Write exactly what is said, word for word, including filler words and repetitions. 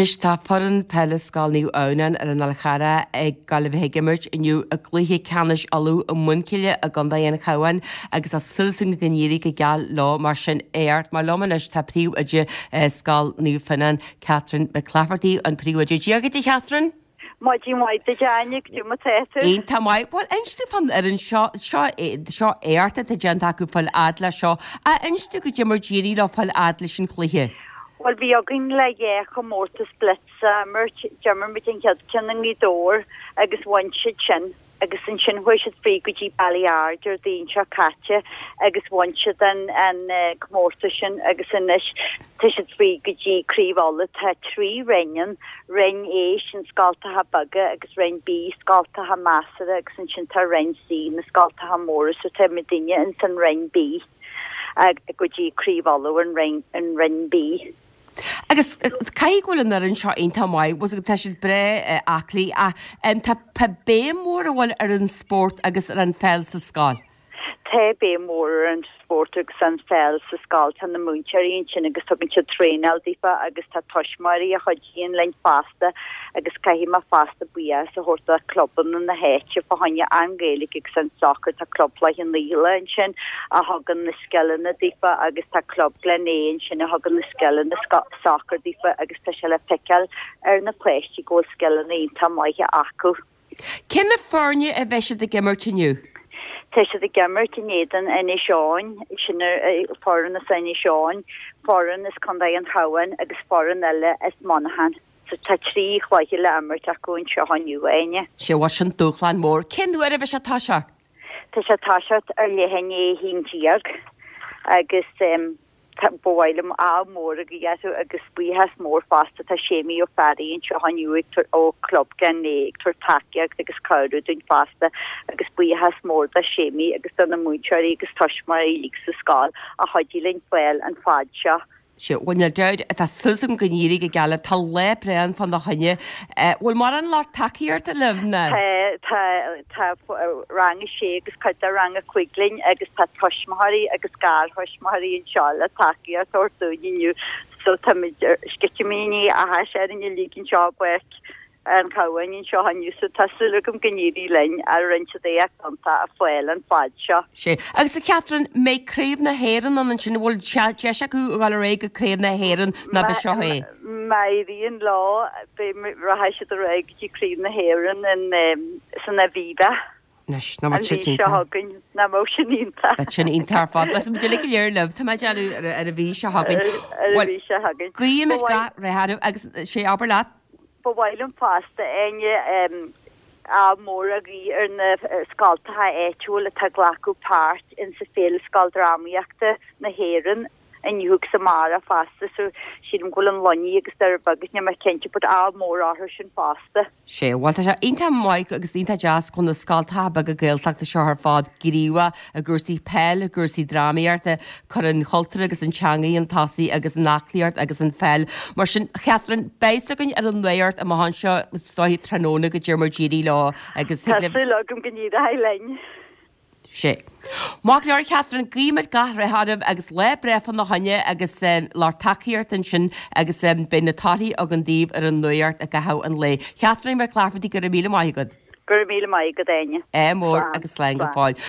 Anois tá foireann peile Scoil Naomh Adhamhnáin ar an Fhál Charrach ag gabháil a bheith ag imirt inniu i gcluiche ceannais Uladh i Muinchille i gContae an Chabháin agus tá súil againn go n-éireoidh go geal leo mar sin éacht. Mar liom anois tá príomhoide Scoil Naomh Fionnán, Catherine McClafferty, an príomhoide. Dia dhuit a Chatherine! Maidin mhaith duit a Áine, goidé mar tá tú. Iontach maith. Bhuel, inis domh fán fhoireann seo, seo, seo éacht atá déanta acu fáil fhad le seo. Ach inis domh goidé mar d'éirigh leo fáil fhad leis an chluiche. Bhuel, bhí againn le dhá chomórtas blitz a imirt. D'imir muid an chéad ceann i nGaoth Dobhair agus bhain siad sin. Agus ansin chuaigh siad fríd go dtí Baile Ard Déardaoin seo caite agus bhain siad an an comórtas sin agus anois tá siad fríd go dtí Craobh Uladh. Tá trí roinn ann, Roinn A, sin scoltacha beaga agus Roinn B, scoltacha measartha agus ansin tá Roinn C, na scoltacha móra so tá muidinne ins an Roinn B go dtí Craobh Uladh an Roinn an Roinn B. Agus caithfidh go bhfuil an fhoireann seo iontach maith, bhfuil tá siad breá aclaí ach tá tá béim mhór an bhfuil ar an spórt agus ar an pheil sa scoil. Tá béim mhór ar an spórt agus an pheil sa scoil. Tá na múinteoirí ansin agus tugann siad traenáil daofa agus tá tuismitheoirí a chuidíonn linn fosta agus caithfidh mé fosta buíochas a thabhairt do chlubanna na háite fá choinne an Ghaeilge agus an sacar. Tá Club Chloich Cheann Fhaola ansin a thugann na scileanna daofa agus tá Club Glenea ansin a thugann na scileanna sacair daofa agus tá sé le feiceáil ar na páistí go bhfuil scileanna iontach maithe acu. Cé na foirne a bheidh siad ag imirt inniu? Tá siad ag imirt in éadan Inis Eoghain, sin foireann as Inis Eoghain, foireann as Contae an Chabháin agus foireann eile as Monaghan. So tá trí chluiche le imirt acu anseo inniu, a Áine. Sé bhuel sin dúshlán mór. Cén uair a bheidh sé ag toiseacht? Tá sé ag toiseacht ar leath i ndiaidh a haon déag agus tá, ba mhaith liom ádh mór a ghuí orthu agus buíochas mór fosta, tá Séimí Ó Fearraigh anseo inniu ag tabhairt, ó Club Glenea ag tabhairt tacaíocht agus cabhrú dúinn fosta agus buíochas mór do Séimí agus do na múinteoirí agus tuismitheoirí uilig sa scoil a chuidigh linn fáil an fad seo. Sea, bhuel níl dabht, tá súil agam go n-éireoidh go geal libh. Tá lá breá ann fána choinne. Bhfuil mórán lucht tacaíochta libh ná? Tá, tá, tá rang a sé agus cuid de rang a cúig linn agus tá tuismitheoirí agus garthuismitheoirí anseo le tacaíocht a thabhairt dúinn inniu so táimid ar sceitimíní áthais orainn uilig anseo i bPáirc an Chabháin anseo inniu so tá súil agam go n-éireoidh linn a rinne siad éacht iontach a fáil an fad seo. Sea. Agus a Chatherine, mbeidh Craobh na hÉireann ann ansin, an bhfuil deis acu a dhul ar aghaidh go Craobh na hÉireann nó ab é seo é? Má éiríonn leo, beidh, rachaidh siad ar aghaidh go dtí Craobh na hÉireann in san Aviva. Anois, nach mbeadh An sin mhí seo iontach? chugainn, nach mbeadh sin iontach? Bheadh sin iontach ar fad. Beidh muid uilig go léir libh, tá mé ag déanamh ar an mhí seo chugainn. Ar an Bhuel, mhí seo chugainn. guímid Ba mhaith. gach rath oraibh agus sé abair leat. Ba mhaith liom fosta, Áine, ádh mór a ghuí ar na scoltacha áitiúil atá ag glacadh páirt insa Féile Scoildrámaíochta na hÉireann inniu agus amárach fosta so sílim go bhfuil an Luinnigh agus Doire Beag níl mé cinnte but ádh mór orthu sin fosta. Sea, bhuel tá sé iontach maith agus iontach deas go bhfuil na scoltacha beaga Gaeltachta seo ar fad gníomhach i gcúrsaí peil, i gcúrsaí drámaíochta, cur an chultúir agus an teangaidh chun tosaigh agus an aclaíocht agus an pheil. Mar sin, a Chatherine, beidh fhios againn ar an nuacht amach anseo is dóiche tráthnóna goidé mar d'éirigh leo agus Tá thig libh. súil agam go n-éireoidh linn. Sea. Maith go leor, a Chatherine, guímid gach rath oraibh agus lá breá fána choinne agus lucht tacaíochta ansin agus beidh na torthaí againn daoibh ar an nuacht i gcaitheamh an lae. Catherine McClafferty, go raibh míle maith agat. Go raibh míle maith agat, Áine. Ádh mór Slán. agus slán go Slán. fóill.